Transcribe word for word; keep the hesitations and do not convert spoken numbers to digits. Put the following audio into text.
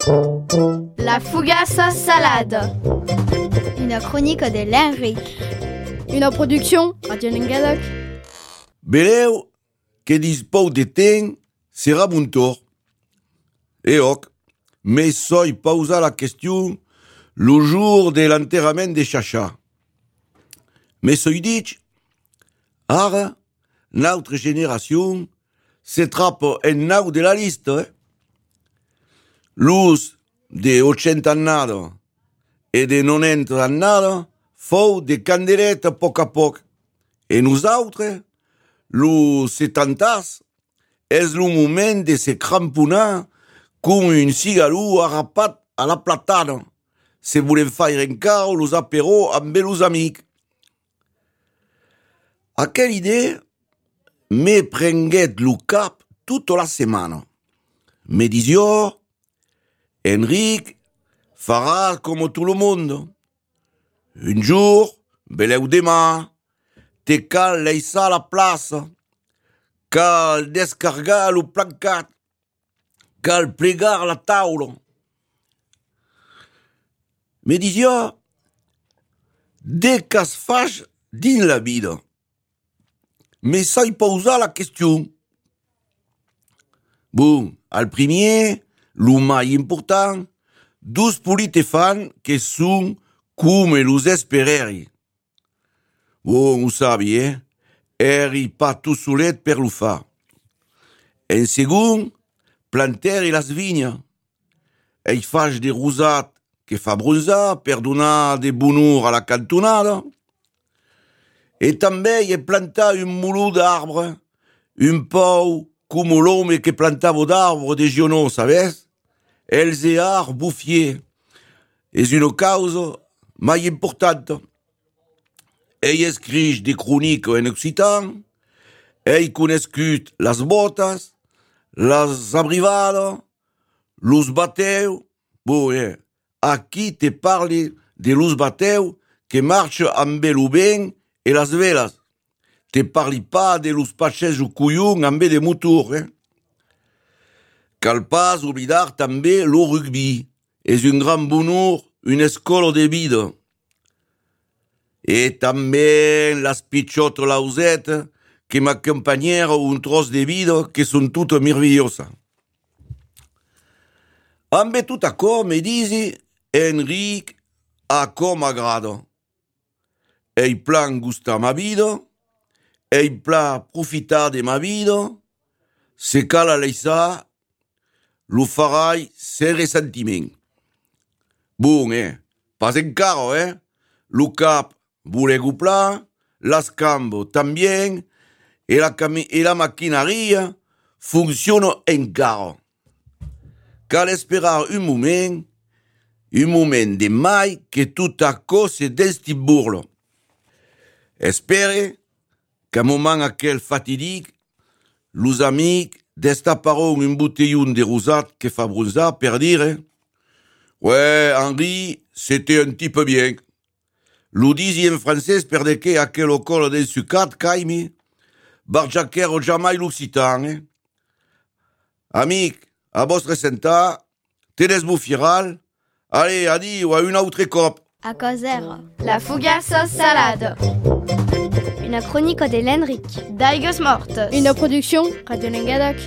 La fougasse salade. Une chronique de l'Henric. Une production Radio Languedoc. Beleu, que dispau de temps, sera bon tor. Et ok, mais soy pausa la question le jour de l'enterrament de Chacha. Mais soy dit, ara, notre génération se trappe en nau de la liste. Eh? L'us de ochenta annada et de nonanta annada fou de candeleta a poc a poc. Et nosaltres, los setantas, és le moment de se cramponar com un cigarro arrapat a la platana, se volem fer encara los apéros amb els amics. Aquella idea me prenguet lo cap tota la setmana. Me disió, Enric, faràs com tot el món. Un jour, beleu demà, te cal laissar la plaça, cal descargar lo plancat, cal plegar la taula. Me disió, de què es faig dins la vida. Me sai posar la qüestió. Bon, al primer, lo mai important, dos politefans que són com los espereri. Bon, ho sabi, eh? Eri pas tot solet per lo fa. En segon, planteri las vignes. Ei faig de rosat que fa bronzar per donar de bonheur a la cantonada. Et també he plantat un moló d'arbre, un pou com l'home que plantava d'arbre de Giono, sabes? Els ears bouffiers. És una causa mai importante. Ei escrit des chroniques en occitan, ei conescut las botas, las abrivadas, los bateus. Bon, eh, aquí te parle de los bateus que marchen amb el vent e las velas. Te parli pas de los passejos collons amb de motor, eh? Cal pas oblidar també lo rugby. És un gran bonheur, una escola de vida. Et també las pitxotes lausetes que m'acompanyaron un tros de vida que són totes meravelloses. Amb tot això me disi, Enric, a com m'agrada. Ei plan gustar ma vida, ei plan profitar de ma vida, se cal a laissar, lo farai sen ressentiment. Bon, eh, pas encara, eh? Lo cap volego pla, las cambos también, e la, cami- e la maquinaria funciona encara. Cal esperar un moment, un moment de mai que tot això se destimburla. Espere qu'à moment aquel fatidic, los amics destaparon un botellón de rosat que fa bronzar per dire «Ouais, Henri, c'était un type bien». Lo disi en francès per de que aquel ocol d'ensucat caimi, barjaquero jamais l'occitan, eh? Amic, a vostre sentar, te desbofiral, allez, adieu à une autre cop. À causer. La fougasse salade. Une chronique de l'Henric. Daigos mortes. Une production Radio Languedoc.